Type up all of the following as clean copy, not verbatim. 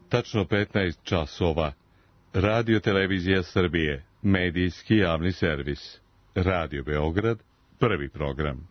Tačno 15 časova. Radio Televizija Srbije, medijski javni servis. Radio Beograd, prvi program.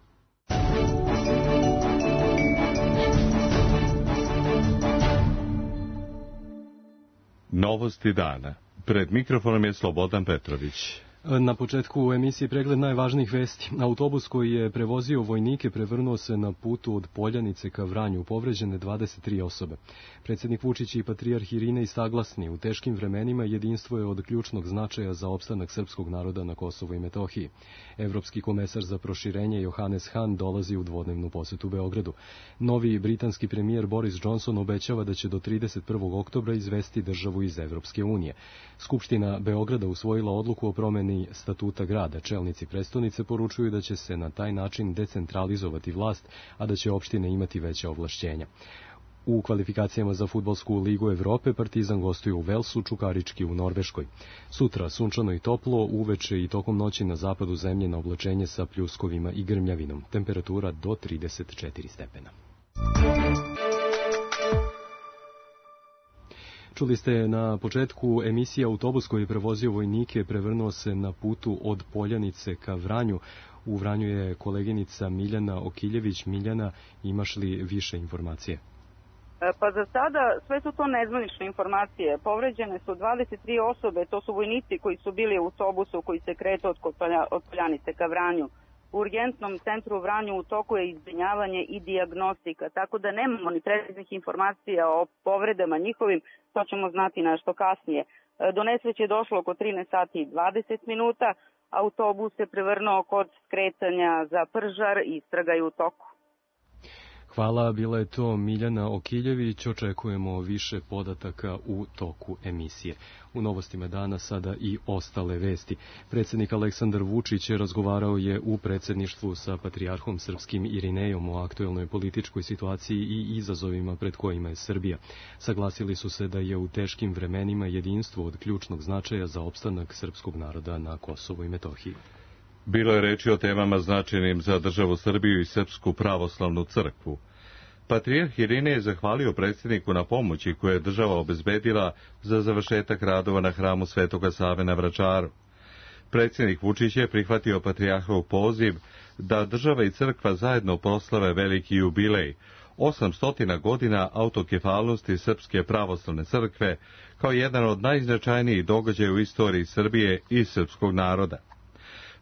Novosti dana. Pred mikrofonom je Slobodan Petrović. Na početku u emisiji pregled najvažnijih vesti. Autobus koji je prevozio vojnike prevrnuo se na putu od Poljanice ka Vranju, povređene 23 osobe. Predsjednik Vučić i patrijarh Irinej saglasni, u teškim vremenima jedinstvo je od ključnog značaja za opstanak srpskog naroda na Kosovu i Metohiji. Evropski komesar za proširenje Johannes Hahn dolazi u dvodnevnu posetu Beogradu. Novi britanski premijer Boris Johnson obećava da će do 31. oktobra izvesti državu iz Evropske unije. Skupština Beograda usvojila odluku o promeni statuta grada. Čelnici prestonice poručuju da će se na taj način decentralizovati vlast, a da će opštine imati veća ovlašćenja. U kvalifikacijama za fudbalsku ligu Evrope Partizan gostuje u Velsu, Čukarički u Norveškoj. Sutra sunčano i toplo, uveče i tokom noći na zapadu zemlje na oblačenje sa pljuskovima i grmljavinom. Temperatura do 34 stepena. Čuli ste na početku emisije autobus koji je prevozio vojnike prevrnuo se na putu od Poljanice ka Vranju. U Vranju je koleginica Miljana Okiljević. Miljana, imaš li više informacije? Pa za sada sve su to nezvanične informacije. Povređene su 23 osobe, to su vojnici koji su bili u autobusu koji se kretao od Poljanice ka Vranju. U urgentnom centru u Vranju u toku je izbrinjavanje i dijagnostika, tako da nemamo ni preciznih informacija o povredama njihovim, to ćemo znati nešto kasnije. Do nesreće je došlo oko 13 sati i 20 minuta, autobus se prevrnuo kod skretanja za Pržar i istraga je u toku. Hvala, bila je to Miljana Okiljević. Očekujemo više podataka u toku emisije. U novostima dana sada i ostale vesti. Predsjednik Aleksandar Vučić razgovarao je u predsjedništvu sa patrijarhom srpskim Irinejom o aktuelnoj političkoj situaciji i izazovima pred kojima je Srbija. Saglasili su se da je u teškim vremenima jedinstvo od ključnog značaja za opstanak srpskog naroda na Kosovu i Metohiji. Bilo je reči o temama značajnim za državu Srbiju i Srpsku pravoslavnu crkvu. Patrijarh Irinej je zahvalio predsjedniku na pomoći koju je država obezbedila za završetak radova na hramu Svetoga Save na Vračaru. Predsjednik Vučić je prihvatio patrijarhov poziv da država i crkva zajedno proslave veliki jubilej, 800 godina autokefalnosti Srpske pravoslavne crkve, kao jedan od najznačajnijih događaja u istoriji Srbije i srpskog naroda.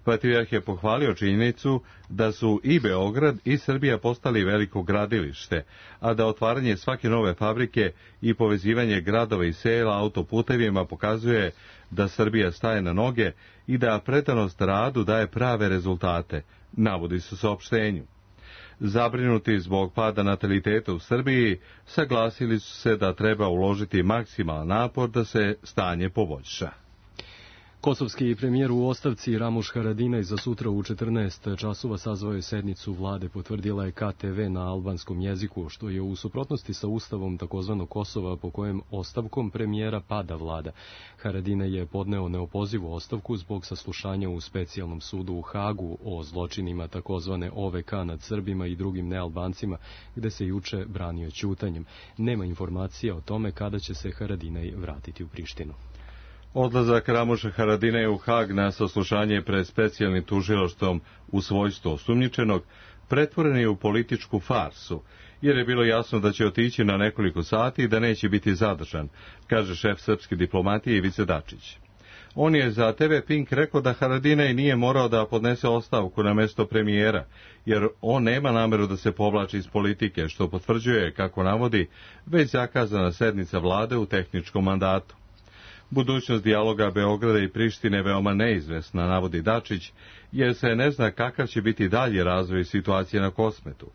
Patrijarh je pohvalio činjenicu da su i Beograd i Srbija postali veliko gradilište, a da otvaranje svake nove fabrike i povezivanje gradova i sela autoputevima pokazuje da Srbija staje na noge i da predanost radu daje prave rezultate, navodi se u saopštenju. Zabrinuti zbog pada nataliteta u Srbiji, saglasili su se da treba uložiti maksimalan napor da se stanje poboljša. Kosovski premijer u ostavci Ramuš Haradinaj za sutra u 14 časova sazvao je sednicu vlade, potvrdila je KTV na albanskom jeziku, što je u suprotnosti sa ustavom takozvanog Kosova po kojem ostavkom premijera pada vlada. Haradinaj je podneo neopozivu ostavku zbog saslušanja u specijalnom sudu u Hagu o zločinima takozvane OVK nad Srbima i drugim nealbancima, gde se juče branio ćutanjem. Nema informacija o tome kada će se Haradinaj vratiti u Prištinu. Odlazak Ramuša Haradinaja u Hag na saslušanje pred specijalnim tužilaštvom u svojstvu osumnjičenog pretvoren je u političku farsu, jer je bilo jasno da će otići na nekoliko sati i da neće biti zadržan, kaže šef srpske diplomatije Ivica Dačić. On je za TV Pink rekao da Haradinaj nije morao da podnese ostavku na mesto premijera, jer on nema nameru da se povlači iz politike, što potvrđuje, kako navodi, već zakazana sednica vlade u tehničkom mandatu. Budućnost dijaloga Beograda i Prištine veoma neizvesna, navodi Dačić, jer se ne zna kakav će biti dalje razvoj situacije na Kosmetu.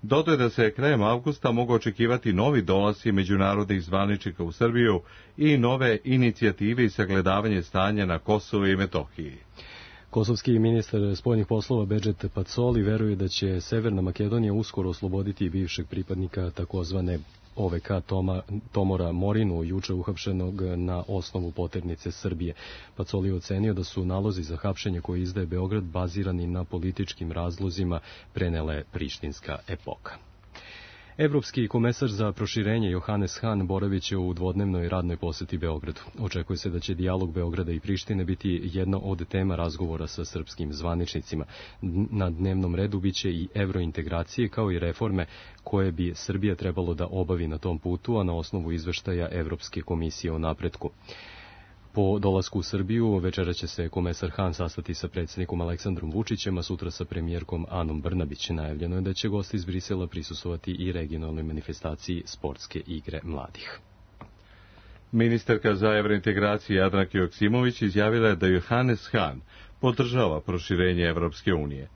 Dodaje da se krajem avgusta mogu očekivati novi dolasci međunarodnih zvaničnika u Srbiju i nove inicijative i sagledavanje stanja na Kosovu i Metohiji. Kosovski ministar spoljnih poslova Bedžet Pacoli veruje da će Severna Makedonija uskoro osloboditi bivšeg pripadnika takozvane OVK Tomora Morinu, juče uhapšenog na osnovu poternice Srbije. Pacoli je ocenio da su nalozi za hapšenje koje izdaje Beograd bazirani na političkim razlozima, prenela je prištinska Epoka. Evropski komesar za proširenje Johannes Hahn boravit će u dvodnevnoj radnoj poseti Beogradu. Očekuje se da će dijalog Beograda i Prištine biti jedna od tema razgovora sa srpskim zvaničnicima. Na dnevnom redu biće i evrointegracije kao i reforme koje bi Srbija trebalo da obavi na tom putu, a na osnovu izveštaja Evropske komisije o napretku. Po dolasku u Srbiju večera će se komesar Hahn sastati sa predsjednikom Aleksandrom Vučićem, a sutra sa premijerkom Anom Brnabić. Najavljeno je da će gosti iz Brisela prisustvovati i regionalnoj manifestaciji Sportske igre mladih. Ministarka za evrointegraciju Jadranka Joksimović izjavila je da Johannes Hahn podržava proširenje Evropske unije.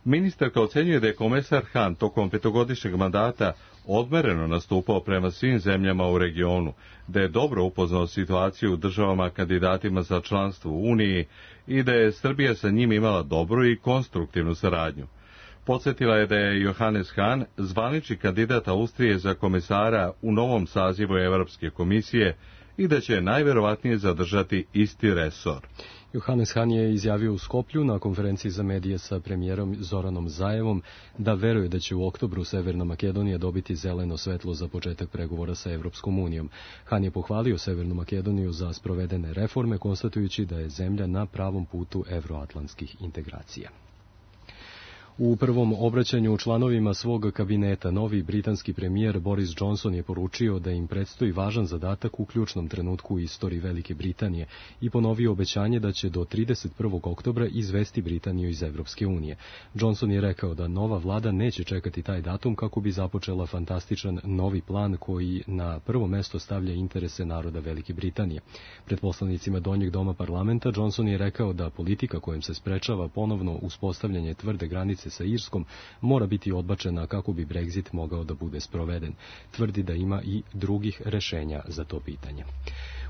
Ministarka ocenjuje da je komesar Hahn tokom petogodišnjeg mandata odmereno nastupao prema svim zemljama u regionu, da je dobro upoznao situaciju u državama kandidatima za članstvo u Uniji i da je Srbija sa njim imala dobru i konstruktivnu saradnju. Podsjetila je da je Johannes Hahn zvanični kandidat Austrije za komesara u novom sazivu Evropske komisije i da će najverovatnije zadržati isti resor. Johannes Hahn je izjavio u Skoplju na konferenciji za medije sa premijerom Zoranom Zaevom da veruje da će u oktobru Severna Makedonija dobiti zeleno svetlo za početak pregovora sa Evropskom unijom. Hahn je pohvalio Severnu Makedoniju za sprovedene reforme, konstatujući da je zemlja na pravom putu evroatlantskih integracija. U prvom obraćanju članovima svog kabineta novi britanski premijer Boris Johnson je poručio da im predstoji važan zadatak u ključnom trenutku u istoriji Velike Britanije i ponovio obećanje da će do 31. oktobra izvesti Britaniju iz Evropske unije. Johnson je rekao da nova vlada neće čekati taj datum kako bi započela fantastičan novi plan koji na prvo mesto stavlja interese naroda Velike Britanije. Pred poslanicima Donjeg doma parlamenta Johnson je rekao da politika kojom se sprečava ponovno uspostavljanje tvrde granice sa Irskom mora biti odbačena kako bi Brexit mogao da bude sproveden. Tvrdi da ima i drugih rešenja za to pitanje.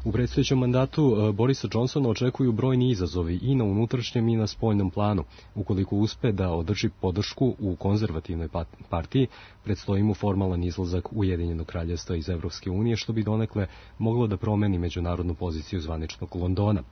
U predstojećem mandatu Borisa Johnsona očekuju brojni izazovi i na unutrašnjem i na spoljnom planu. Ukoliko uspe da održi podršku u konzervativnoj partiji, predstoji mu formalan izlazak Ujedinjenog kraljevstva iz Evropske unije, što bi donekle moglo da promeni međunarodnu poziciju zvaničnog Londona.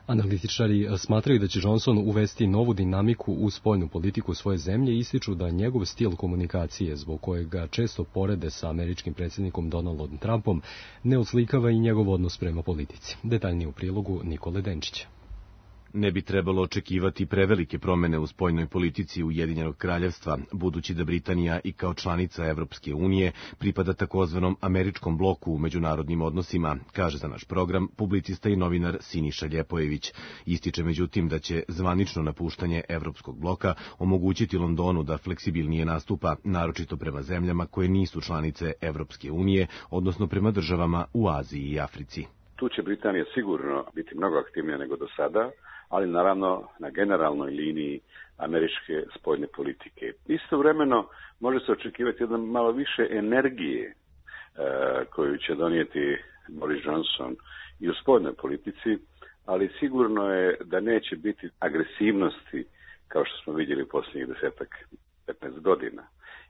Analitičari smatraju da će Johnson uvesti novu dinamiku u spoljnu politiku svoje zemlje i ističu da njegov stil komunikacije, zbog kojeg ga često porede sa američkim predsjednikom Donaldom Trumpom, ne oslikava i njegov odnos prema politici. Detaljnije u prilogu Nikole Denčića. Ne bi trebalo očekivati prevelike promene u spoljnoj politici Ujedinjenog kraljevstva, budući da Britanija i kao članica Evropske unije pripada takozvanom američkom bloku u međunarodnim odnosima, kaže za naš program publicista i novinar Siniša Ljepojević. Ističe međutim da će zvanično napuštanje Evropskog bloka omogućiti Londonu da fleksibilnije nastupa, naročito prema zemljama koje nisu članice Evropske unije, odnosno prema državama u Aziji i Africi. Tu će Britanija sigurno biti mnogo aktivnija nego do sada, ali naravno na generalnoj liniji američke spoljne politike. Istovremeno može se očekivati jedan malo više energije koju će donijeti Boris Johnson i u spoljnoj politici, ali sigurno je da neće biti agresivnosti kao što smo vidjeli u posljednjih 10-15 godina.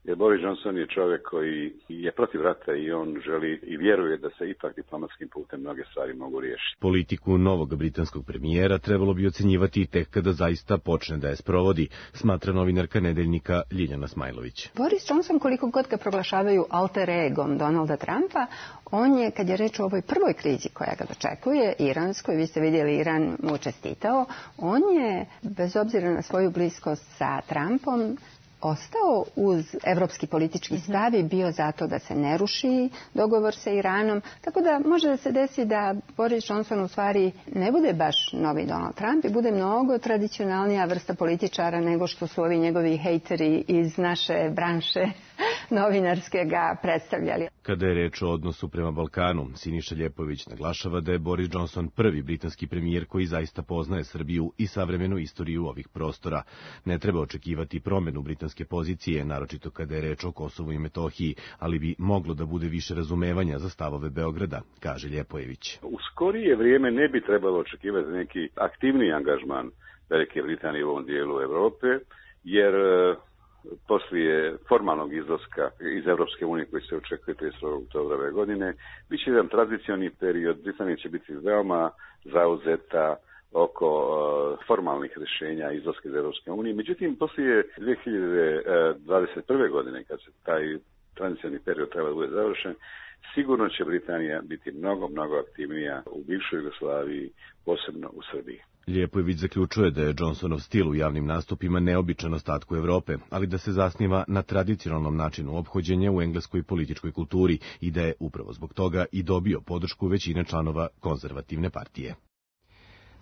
Jer Boris Johnson je čovjek koji je protiv rata i on želi i vjeruje da se ipak diplomatskim putem mnoge stvari mogu riješiti. Politiku novog britanskog premijera trebalo bi ocenjivati tek kada zaista počne da je sprovodi, smatra novinarka Nedeljnika Ljiljana Smajlović. Boris Johnson, koliko god ga proglašavaju alter egom Donalda Trumpa, on je, kad je reč o ovoj prvoj krizi koja ga dočekuje, iranskoj, vi ste vidjeli Iran mu čestitao, on je, bez obzira na svoju bliskost sa Trumpom, ostao uz evropski politički stav i bio zato da se ne ruši dogovor sa Iranom. Tako da može da se desi da Boris Johnson u stvari ne bude baš novi Donald Trump i bude mnogo tradicionalnija vrsta političara nego što su ovi njegovi hejteri iz naše branše novinarske ga predstavljali. Kada je reč o odnosu prema Balkanu, Siniša Ljepojević naglašava da je Boris Johnson prvi britanski premijer koji zaista poznaje Srbiju i savremenu istoriju ovih prostora. Ne treba očekivati promjenu britanske pozicije, naročito kada je reč o Kosovu i Metohiji, ali bi moglo da bude više razumevanja za stavove Beograda, kaže Ljepojević. U skorije vrijeme ne bi trebalo očekivati neki aktivniji angažman Velike Britanije u ovom dijelu Europe, jer poslije formalnog izlaska iz Evropske unije koji se očekuje 31. oktobra ove godine, bit će jedan tranzicioni period. Britanija će biti veoma zauzeta oko formalnih rješenja izlaska iz Evropske unije. Međutim, poslije 2021. godine, kad se taj tranzicijni period treba da bude završen, sigurno će Britanija biti mnogo, mnogo aktivnija u bivšoj Jugoslaviji, posebno u Srbiji. Lijepojević zaključuje da je Johnsonov stil u javnim nastupima neobičan ostatku Evrope, ali da se zasniva na tradicionalnom načinu ophođenja u engleskoj političkoj kulturi i da je upravo zbog toga i dobio podršku većine članova konzervativne partije.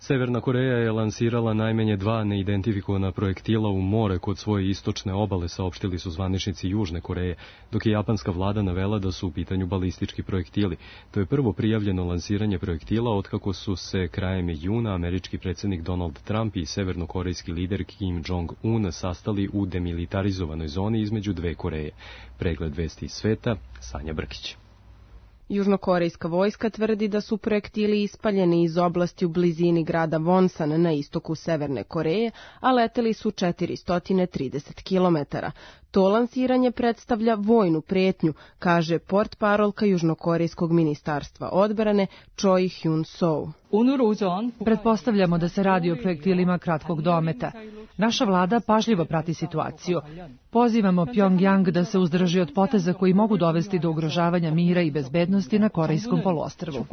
Severna Koreja je lansirala najmanje 2 neidentifikovana projektila u more kod svoje istočne obale, saopštili su zvaničnici Južne Koreje, dok je japanska vlada navela da su u pitanju balistički projektili. To je prvo prijavljeno lansiranje projektila otkako su se krajem juna američki predsjednik Donald Trump i severnokorejski lider Kim Jong-un sastali u demilitarizovanoj zoni između dve Koreje. Pregled vesti iz sveta, Sanja Brkić. Južnokorejska vojska tvrdi da su projektili ispaljeni iz oblasti u blizini grada Wonsan na istoku Severne Koreje, a leteli su 430 km. To lansiranje predstavlja vojnu prijetnju, kaže portparolka Južnokorejskog ministarstva odbrane Choi Hyun-soo. Pretpostavljamo da se radi o projektilima kratkog dometa. Naša vlada pažljivo prati situaciju. Pozivamo Pjongjang da se uzdrži od poteza koji mogu dovesti do ugrožavanja mira i bezbednosti na Korejskom poluostrvu.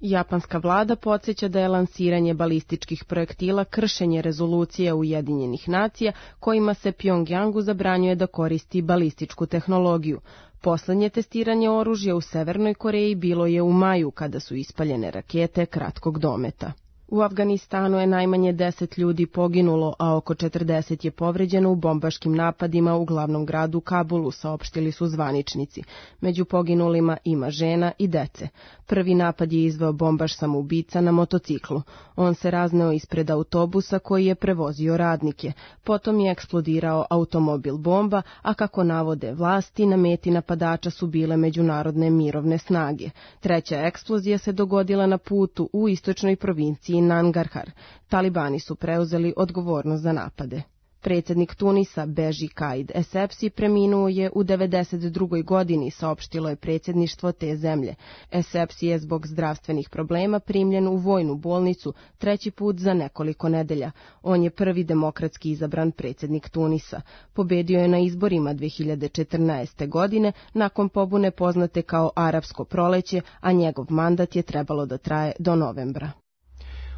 Japanska vlada podsjeća da je lansiranje balističkih projektila kršenje rezolucije Ujedinjenih nacija kojima se Pjongjangu zabranjuje da koristi balističku tehnologiju. Poslednje testiranje oružja u Severnoj Koreji bilo je u maju kada su ispaljene rakete kratkog dometa. U Afganistanu je najmanje 10 ljudi poginulo, a oko 40 je povređeno u bombaškim napadima u glavnom gradu Kabulu, saopštili su zvaničnici. Među poginulima ima žena i dece. Prvi napad je izveo bombaš samoubica na motociklu. On se razneo ispred autobusa koji je prevozio radnike. Potom je eksplodirao automobil bomba, a kako navode vlasti, na meti napadača su bile međunarodne mirovne snage. Treća eksplozija se dogodila na putu u istočnoj provinciji Nangarhar. Talibani su preuzeli odgovornost za napade. Predsjednik Tunisa Beji Caid Essebsi preminuo je u 92. godini, saopštilo je predsjedništvo te zemlje. Essebsi je zbog zdravstvenih problema primljen u vojnu bolnicu 3. put za nekoliko nedelja. On je prvi demokratski izabran predsjednik Tunisa. Pobedio je na izborima 2014. godine nakon pobune poznate kao Arapsko proleće, a njegov mandat je trebalo da traje do novembra.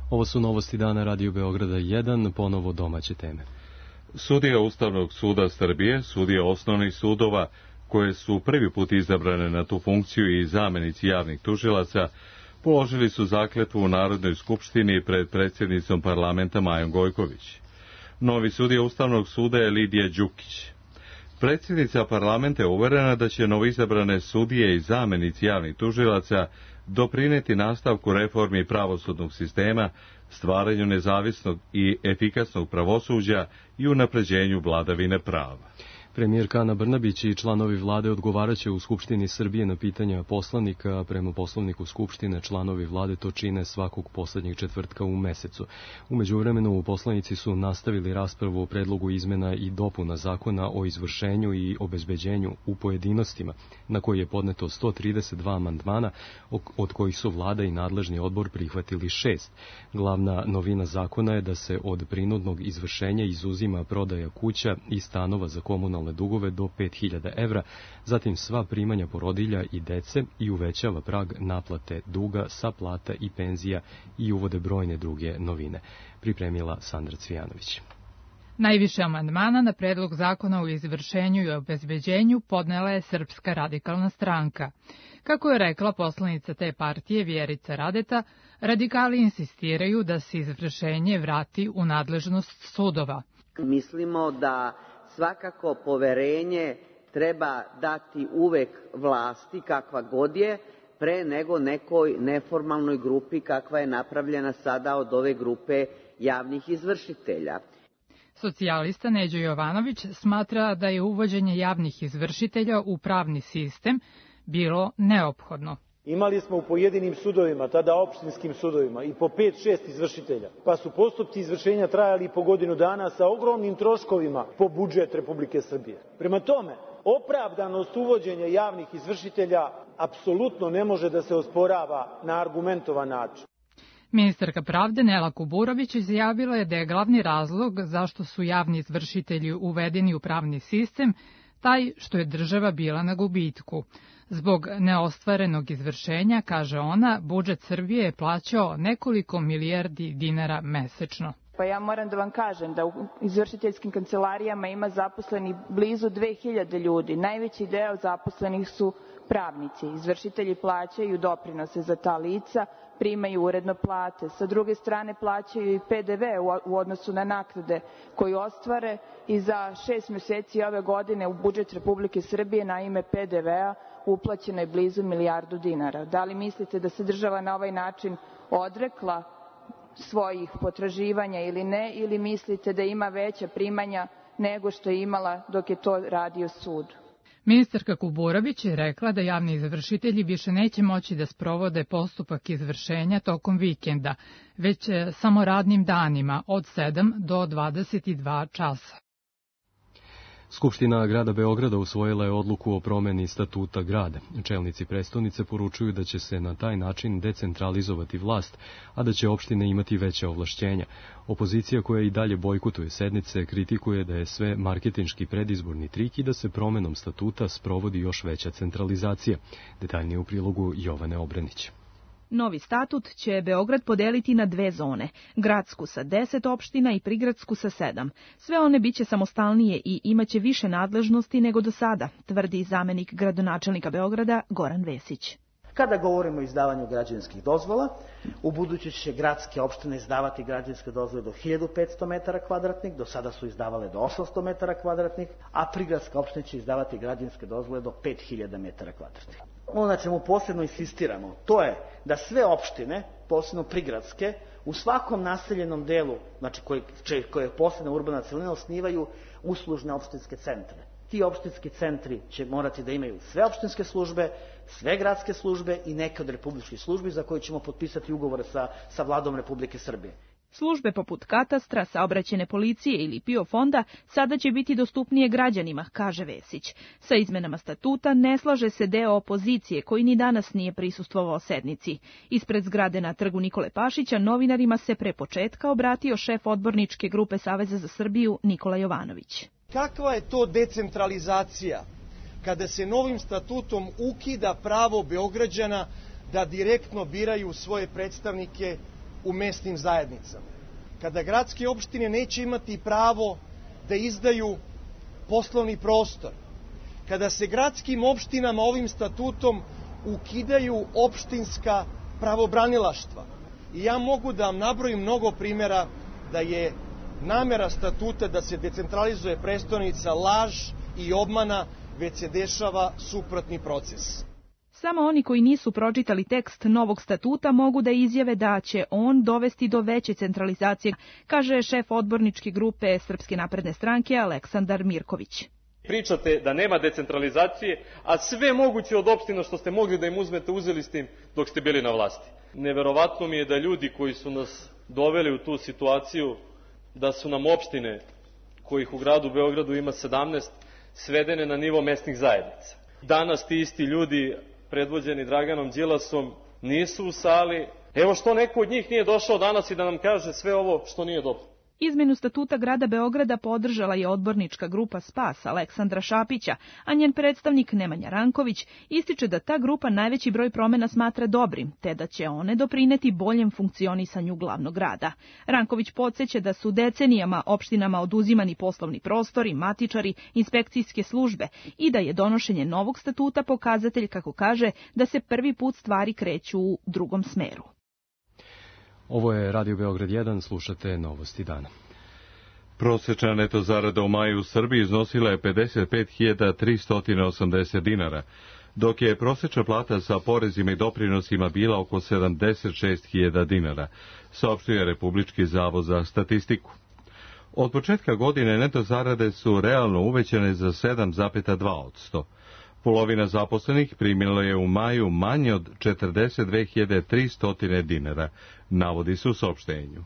Ovo su novosti dana Radio Beograda 1, ponovo domaće teme. Sudija Ustavnog suda Srbije, sudije osnovnih sudova, koje su prvi put izabrane na tu funkciju i zamenici javnih tužilaca, položili su zakletvu u Narodnoj skupštini pred predsjednicom parlamenta Majom Gojković. Novi sudija Ustavnog suda je Lidija Đukić. Predsjednica parlamenta je uverena da će novoizabrane sudije i zamenici javnih tužilaca doprineti nastavku reformi pravosudnog sistema, stvaranju nezavisnog i efikasnog pravosuđa i unapređenju vladavine prava. Premijerka Ana Brnabić i članovi vlade odgovaraće u Skupštini Srbije na pitanja poslanika. Prema poslovniku Skupštine članovi vlade to čine svakog poslednjeg četvrtka u mesecu. U međuvremenu poslanici su nastavili raspravu o predlogu izmena i dopuna zakona o izvršenju i obezbeđenju u pojedinostima, na koji je podneto 132 amandmana, od kojih su vlada i nadležni odbor prihvatili 6. Glavna novina zakona je da se od prinudnog izvršenja izuzima prodaja kuća i stanova za komunalne dugove do 5.000 evra, zatim sva primanja porodilja i dece i uvećava prag naplate duga sa plata i penzija i uvode brojne druge novine. Pripremila Sandra Cvijanović. Najviše amandmana na predlog zakona o izvršenju i obezbeđenju podnela je Srpska radikalna stranka. Kako je rekla poslanica te partije Vjerica Radeta, radikali insistiraju da se izvršenje vrati u nadležnost sudova. Mislimo da svakako poverenje treba dati uvek vlasti kakva god je, pre nego nekoj neformalnoj grupi kakva je napravljena sada od ove grupe javnih izvršitelja. Socijalista Neđo Jovanović smatra da je uvođenje javnih izvršitelja u pravni sistem bilo neophodno. Imali smo u pojedinim sudovima, tada opštinskim sudovima, i po 5-6 izvršitelja, pa su postupci izvršenja trajali po godinu dana sa ogromnim troškovima po budžet Republike Srbije. Prema tome, opravdanost uvođenja javnih izvršitelja apsolutno ne može da se osporava na argumentovan način. Ministarka pravde Nela Kuburović izjavila je da je glavni razlog zašto su javni izvršitelji uvedeni u pravni sistem taj što je država bila na gubitku. Zbog neostvarenog izvršenja, kaže ona, budžet Srbije je plaćao nekoliko milijardi dinara mesečno. Pa ja moram da vam kažem da u izvršiteljskim kancelarijama ima zaposleni blizu 2000 ljudi. Najveći deo zaposlenih su pravnici. Izvršitelji plaćaju doprinose za ta lica, primaju uredno plate. Sa druge strane plaćaju i PDV u odnosu na naknade koju ostvare i za 6 meseci ove godine u budžet Republike Srbije na ime PDV-a uplaćeno je blizu milijardu dinara. Da li mislite da se država na ovaj način odrekla svojih potraživanja ili ne, ili mislite da ima veća primanja nego što je imala dok je to radio sud? Ministarka Kuburović je rekla da javni izvršitelji više neće moći da sprovode postupak izvršenja tokom vikenda, već samo radnim danima od 7 do 22 časa. Skupština grada Beograda usvojila je odluku o promeni statuta grada. Čelnici prestonice poručuju da će se na taj način decentralizovati vlast, a da će opštine imati veća ovlašćenja. Opozicija koja i dalje bojkotuje sednice kritikuje da je sve marketinški predizborni trik i da se promenom statuta sprovodi još veća centralizacija. Detaljnije u prilogu Jovane Obrenić. Novi statut će Beograd podeliti na 2 zone, gradsku sa 10 opština i prigradsku sa 7. Sve one biće samostalnije i imaće više nadležnosti nego do sada, tvrdi zamenik gradonačelnika Beograda Goran Vesić. Kada govorimo o izdavanju građevinskih dozvola, u buduće će gradske opštine izdavati građevinske dozvole do 1500 metara kvadratnih, do sada su izdavale do 800 metara kvadratnih, a prigradska opština će izdavati građevinske dozvole do 5000 metara kvadratnih. Ono na čemu posebno insistiramo, to je da sve opštine, posebno prigradske, u svakom naseljenom delu, znači koje je posebna urbana celina, osnivaju uslužne opštinske centre. Ti opštinski centri će morati da imaju sve opštinske službe, sve gradske službe i neke od republičkih službi za koje ćemo potpisati ugovore sa vladom Republike Srbije. Službe poput katastra, saobraćajne policije ili PIO fonda sada će biti dostupnije građanima, kaže Vesić. Sa izmenama statuta ne slaže se deo opozicije koji ni danas nije prisustvovao sednici. Ispred zgrade na trgu Nikole Pašića novinarima se pre početka obratio šef odborničke grupe Saveza za Srbiju Nikola Jovanović. Kakva je to decentralizacija kada se novim statutom ukida pravo Beograđana da direktno biraju svoje predstavnike u mesnim zajednicama? Kada gradske opštine neće imati pravo da izdaju poslovni prostor? Kada se gradskim opštinama ovim statutom ukidaju opštinska pravobranilaštva? I ja mogu da vam nabrojim mnogo primjera da je namera statuta da se decentralizuje prestonica laž i obmana, već se dešava suprotni proces. Samo oni koji nisu pročitali tekst novog statuta mogu da izjave da će on dovesti do veće centralizacije, kaže šef odborničke grupe Srpske napredne stranke Aleksandar Mirković. Pričate da nema decentralizacije, a sve moguće od opština što ste mogli da im uzmete, uzeli ste im dok ste bili na vlasti. Neverovatno mi je da ljudi koji su nas doveli u tu situaciju, da su nam opštine, kojih u gradu Beogradu ima 17, svedene na nivo mesnih zajednica. Danas ti isti ljudi, predvođeni Draganom Đilasom, nisu u sali. Evo što neko od njih nije došao danas i da nam kaže sve ovo što nije dobro. Izmenu statuta grada Beograda podržala je odbornička grupa SPAS Aleksandra Šapića, a njen predstavnik Nemanja Ranković ističe da ta grupa najveći broj promena smatra dobrim, te da će one doprineti boljem funkcionisanju glavnog grada. Ranković podsjeća da su decenijama opštinama oduzimani poslovni prostori, matičari, inspekcijske službe i da je donošenje novog statuta pokazatelj, kako kaže, da se prvi put stvari kreću u drugom smeru. Ovo je Radio Beograd 1, slušate Novosti dana. Prosečna neto zarada u maju u Srbiji iznosila je 55.380 dinara, dok je prosečna plata sa porezima i doprinosima bila oko 76.000 dinara, saopštio Republički zavod za statistiku. Od početka godine neto zarade su realno uvećane za 7,2%. Polovina zaposlenih primila je u maju manje od 42.300 dinara, navodi se u saopštenju.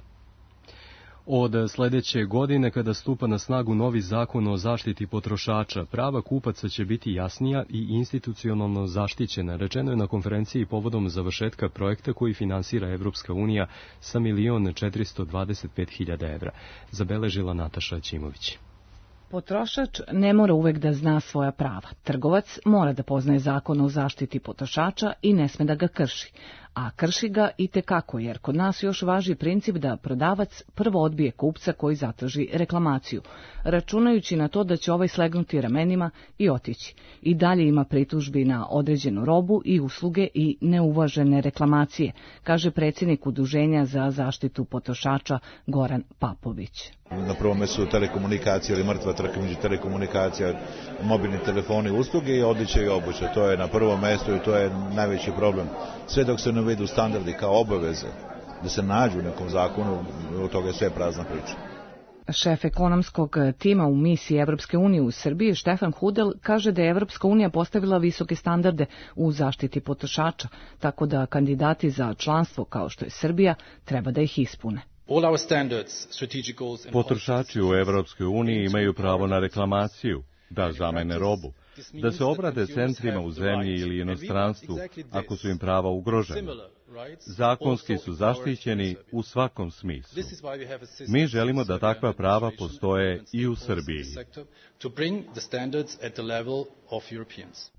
Od sledeće godine, kada stupa na snagu novi zakon o zaštiti potrošača, prava kupaca će biti jasnija i institucionalno zaštićena, rečeno je na konferenciji povodom završetka projekta koji finansira Evropska unija sa 1.425.000 evra, zabeležila Nataša Ćimović. Potrošač ne mora uvek da zna svoja prava. Trgovac mora da poznaje zakon o zaštiti potrošača i ne sme da ga krši. A krši ga i tekako, jer kod nas još važi princip da prodavac prvo odbije kupca koji zatraži reklamaciju, računajući na to da će ovaj slegnuti ramenima i otići. I dalje ima pritužbi na određenu robu i usluge i neuvažene reklamacije, kaže predsjednik Udruženja za zaštitu potrošača Goran Papović. Na prvom mjestu su telekomunikacije ili mrtva trka među telekomunikacija, mobilni telefoni, usluge i odjeća i obuća. To je na prvom mjestu i to je najveći problem. Sve dok se ne uvedu standardi kao obaveze da se nađu u nekom zakonu, od toga je sve prazna priča. Šef ekonomskog tima u misiji Evropske unije u Srbiji, Štefan Hudel, kaže da je Evropska unija postavila visoke standarde u zaštiti potrošača, tako da kandidati za članstvo kao što je Srbija treba da ih ispune. Potrošači u Evropskoj uniji imaju pravo na reklamaciju, da zamene robu, da se obrate centrima u zemlji ili inostranstvu ako su im prava ugrožena. Zakonski su zaštićeni u svakom smislu. Mi želimo da takva prava postoje i u Srbiji.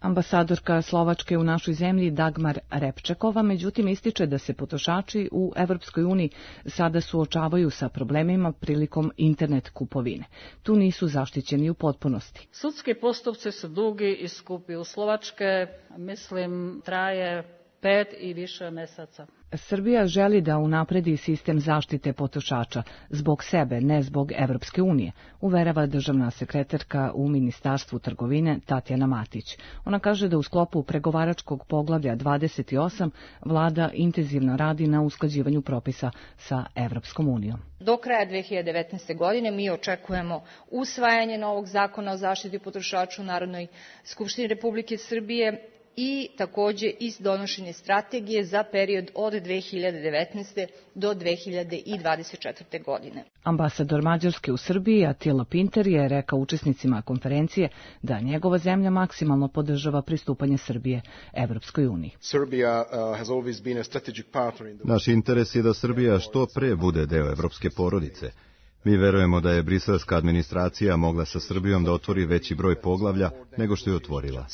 Ambasadorka Slovačke u našoj zemlji Dagmar Repčekova međutim ističe da se potrošači u Evropskoj uniji sada suočavaju sa problemima prilikom internet kupovine. Tu nisu zaštićeni u potpunosti. Sudski postupci su dugi i skupi. U Slovačke, mislim, traje 5 i više meseca. Srbija želi da unapredi sistem zaštite potrošača zbog sebe, ne zbog Evropske unije, uverava državna sekretarka u Ministarstvu trgovine Tatjana Matić. Ona kaže da u sklopu pregovaračkog poglavlja 28 vlada intenzivno radi na usklađivanju propisa sa Evropskom unijom. Do kraja 2019. godine mi očekujemo usvajanje novog zakona o zaštiti potrošača u Narodnoj skupštini Republike Srbije i takođe i donošenje strategije za period od 2019. do 2024. godine. Ambasador Mađarske u Srbiji Attila Pinter je rekao učesnicima konferencije da njegova zemlja maksimalno podržava pristupanje Srbije Evropskoj uniji. Naš interes je da Srbija što pre bude deo evropske porodice. Mi verujemo da je briselska administracija mogla sa Srbijom da otvori veći broj poglavlja nego što je otvorila.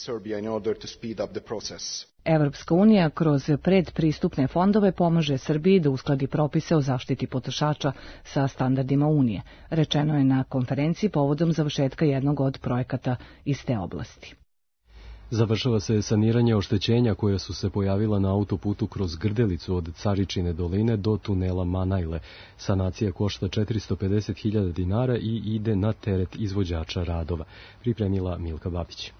Evropska unija kroz predpristupne fondove pomaže Srbiji da uskladi propise o zaštiti potrošača sa standardima Unije, rečeno je na konferenciji povodom završetka jednog od projekata iz te oblasti. Završava se saniranje oštećenja koja su se pojavila na autoputu kroz Grdelicu od Caričine doline do tunela Manajle. Sanacija košta 450.000 dinara i ide na teret izvođača radova. Pripremila Milka Babić.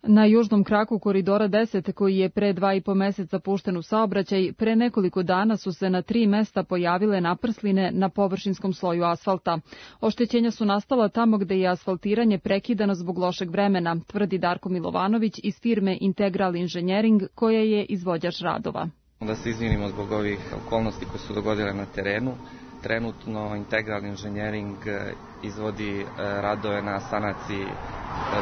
Na južnom kraku koridora 10, koji je pre 2,5 meseca pušten u saobraćaj, pre nekoliko dana su se na 3 mesta pojavile naprsline na površinskom sloju asfalta. Oštećenja su nastala tamo gde je asfaltiranje prekidano zbog lošeg vremena, tvrdi Darko Milovanović iz firme Integral Engineering, koja je izvođač radova. Da se izvinimo zbog ovih okolnosti koje su dogodile na terenu. Trenutno Integral Engineering izvodi radove na sanaciji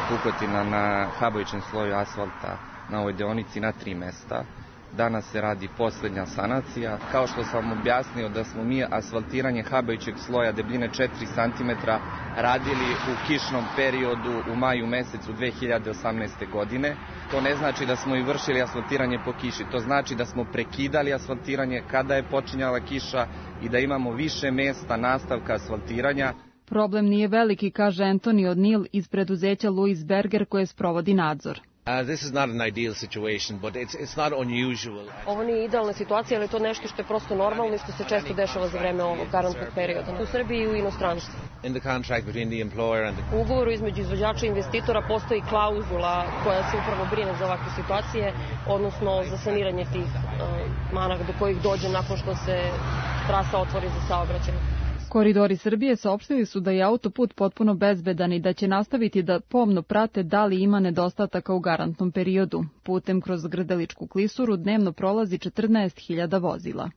pukotina na habajućem sloju asfalta na ovoj deonici na 3 mesta. Danas se radi posljednja sanacija. Kao što sam vam objasnio da smo mi asfaltiranje habajućeg sloja debljine 4 cm radili u kišnom periodu u maju mesecu 2018. godine. To ne znači da smo i vršili asfaltiranje po kiši. To znači da smo prekidali asfaltiranje kada je počinjala kiša i da imamo više mesta nastavka asfaltiranja. Problem nije veliki, kaže Antonio Nil iz preduzeća Louis Berger koje sprovodi nadzor. Ovo nije idealna situacija, ali je to nešto što je prosto normalno i što se često dešava za vreme ovog garantnog perioda. U Srbiji i u inostranstvu. U ugovoru između izvođača i investitora postoji klauzula koja se upravo brine za ovakve situacije, odnosno za saniranje tih mana do kojih dođe nakon što se trasa otvori za saobraćaj. Koridori Srbije saopštili su da je autoput potpuno bezbedan i da će nastaviti da pomno prate da li ima nedostataka u garantnom periodu. Putem kroz Grdeličku klisuru dnevno prolazi 14.000 vozila.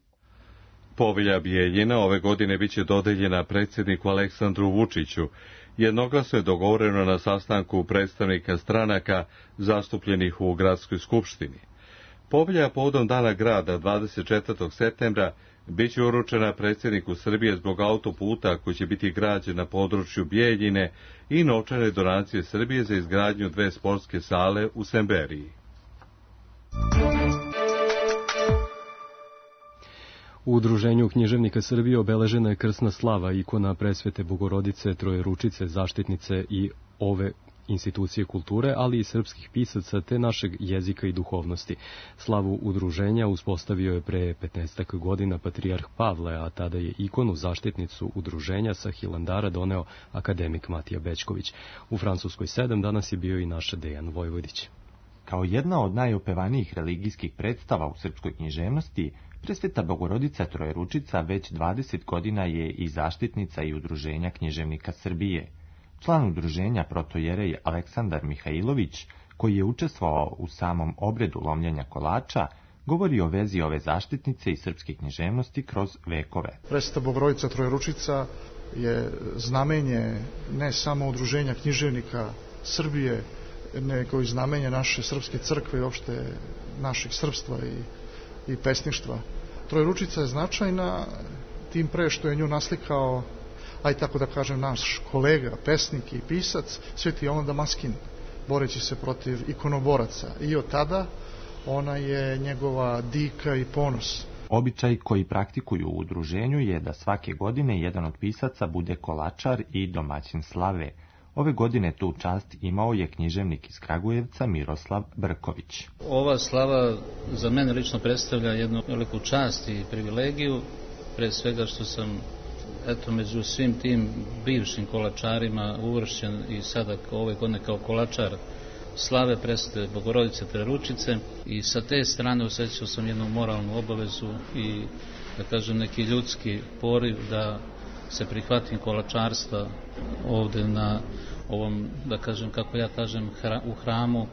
Povelja Bijeljina ove godine biće dodeljena predsjedniku Aleksandru Vučiću. Jednoglasno je dogovoreno na sastanku predstavnika stranaka zastupljenih u gradskoj skupštini. Povelja povodom Dana grada 24. septembra Biće uručena predsjedniku Srbije zbog autoputa koji će biti građen na području Bijeljine i novčane donacije Srbije za izgradnju 2 sportske sale u Semberiji. U Udruženju književnika Srbije obeležena je krsna slava, ikona Presvete Bogorodice, Trojeručice, zaštitnice i ove institucije kulture, ali i srpskih pisaca te našeg jezika i duhovnosti. Slavu udruženja uspostavio je pre 15 godina patrijarh Pavle, a tada je ikonu zaštitnicu udruženja sa Hilandara doneo akademik Matija Bećković. U Francuskoj 7 danas je bio i naš Dejan Vojvodić. Kao jedna od najopevanijih religijskih predstava u srpskoj književnosti, Presveta Bogorodica Trojeručica već 20 godina je i zaštitnica i udruženja književnika Srbije. Član udruženja protojerej Aleksandar Mihajlović, koji je učestvovao u samom obredu lomljenja kolača, govori o vezi ove zaštitnice i srpske književnosti kroz vekove. Presveta Bogorodica Trojeručica je znamenje ne samo udruženja književnika Srbije, nego i znamenje naše srpske crkve i uopšte našeg srpstva i pesništva. Trojeručica je značajna tim pre što je nju naslikao, aj tako da kažem, naš kolega, pesnik i pisac, Sveti Jovan Damaskin, boreći se protiv ikonoboraca. I od tada ona je njegova dika i ponos. Običaj koji praktikuju u udruženju je da svake godine jedan od pisaca bude kolačar i domaćin slave. Ove godine tu čast imao je književnik iz Kragujevca Miroslav Brković. Ova slava za mene lično predstavlja jednu veliku čast i privilegiju, pre svega što sam među svim tim bivšim kolačarima uvršćen i sada ove godine kao kolačar slave Presvete Bogorodice Trojeručice i sa te strane osjećao sam jednu moralnu obavezu i da kažem neki ljudski poriv da se prihvatim kolačarstva ovde na ovom, da kažem, kako ja kažem, u hramu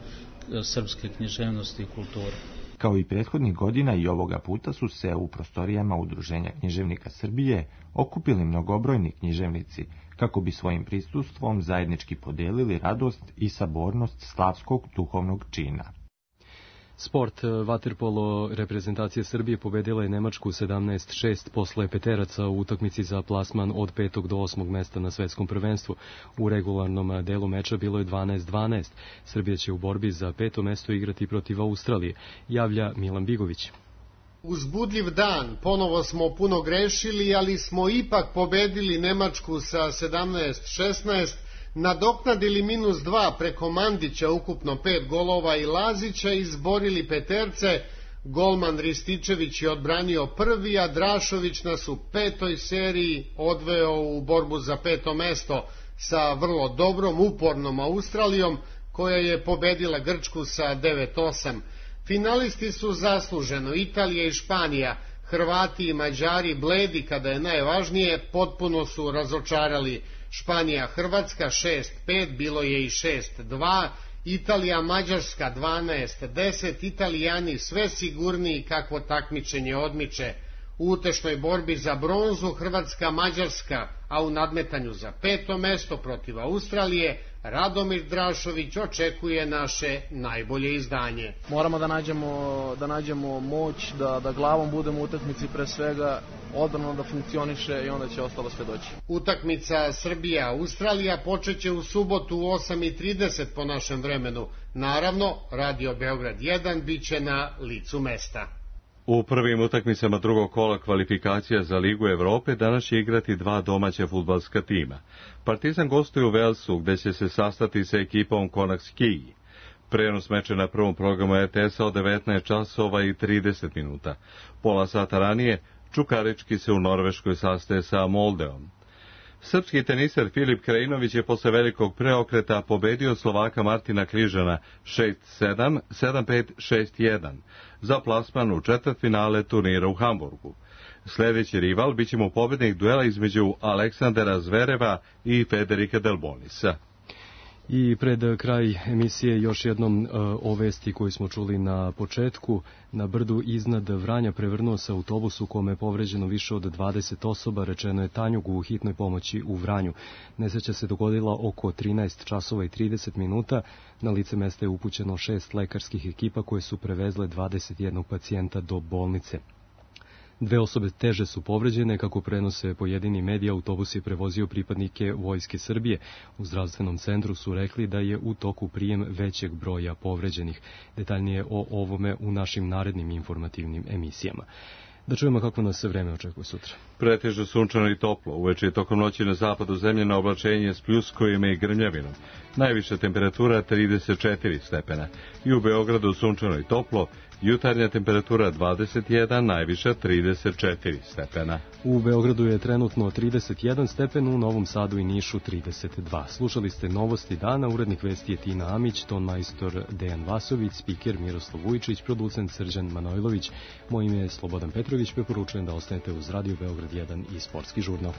srpske književnosti i kulture. Kao i prethodnih godina i ovoga puta su se u prostorijama Udruženja književnika Srbije okupili mnogobrojni književnici kako bi svojim prisustvom zajednički podelili radost i sabornost slavskog duhovnog čina. Sport. Vaterpolo reprezentacija Srbije pobedila je Nemačku 17-6 posle peteraca u utakmici za plasman od 5. do 8. mesta na svetskom prvenstvu. U regularnom delu meča bilo je 12-12. Srbija će u borbi za 5. mesto igrati protiv Australije, javlja Milan Bigović. Uzbudljiv dan, ponovo smo puno grešili, ali smo ipak pobedili Nemačku sa 17-16, nadoknadili -2 preko Mandića, ukupno 5 golova i Lazića, izborili peterce. Golman Rističević je odbranio prvi, a Drašović nas u 5. seriji odveo u borbu za 5. mesto sa vrlo dobrom, upornom Australijom, koja je pobedila Grčku sa 9-8. Finalisti su zasluženo Italija i Španija. Hrvati i Mađari, bledi kada je najvažnije, potpuno su razočarali. Španija Hrvatska 6-5, bilo je i 6-2, Italija Mađarska 12-10, Italijani sve sigurniji kakvo takmičenje odmiče. U utešnoj borbi za bronzu Hrvatska Mađarska, a u nadmetanju za 5. mesto protiv Australije Radomir Drašović očekuje naše najbolje izdanje. Moramo da nađemo moć, da glavom budemo u utakmici, pre svega odbrana da funkcioniše i onda će ostalo sve doći. Utakmica Srbija-Australija počeće u subotu u 8:30 po našem vremenu. Naravno, Radio Beograd 1 biće na licu mesta. U prvim utakmicama drugog kola kvalifikacija za Ligu Evrope danas će igrati 2 domaća fudbalska tima. Partizan gostuje u Velsu, gde će se sastati sa ekipom Konak-Skij. Prenos meča na prvom programu RTS-a od 19:30. Pola sata ranije Čukarički se u Norveškoj sastaje sa Moldeom. Srpski teniser Filip Krajinović je posle velikog preokreta pobedio Slovaka Martina Križana 6-7, 7-5, 6-1 za plasman u četvrtfinale turnira u Hamburgu. Sljedeći rival biće mu pobednik duela između Aleksandra Zvereva i Federika Delbonisa. I pred kraj emisije još jednom o vesti koju smo čuli na početku. Na brdu iznad Vranja prevrnuo se autobus u kome je povređeno više od 20 osoba, rečeno je Tanjugu u hitnoj pomoći u Vranju. Nesreća se dogodila oko 13:30. Na lice mesta je upućeno 6 lekarskih ekipa koje su prevezle 21 pacijenta do bolnice. 2 osobe teže su povređene, kako prenose pojedini mediji. Autobus je prevozio pripadnike Vojske Srbije. U zdravstvenom centru su rekli da je u toku prijem većeg broja povređenih. Detaljnije o ovome u našim narednim informativnim emisijama. Da čujemo kako nas se vreme očekuje sutra. Pretežno sunčano i toplo. Uveče i tokom noći na zapadu zemlje na oblačenje s pljuskovima i grmljavinom. Najviša temperatura 34 stepena. I u Beogradu sunčano i toplo. Jutarnja temperatura 21, najviša 34 stepena. U Beogradu je trenutno 31 stepen, u Novom Sadu i Nišu 32. Slušali ste novosti dana, urednik vesti je Tina Amić, ton majstor Dejan Vasović, spiker Miroslav Vujčić, producent Srđan Manojlović. Moje ime je Slobodan Petrović, preporučujem da ostanete uz Radio Beograd 1 i Sportski žurnal.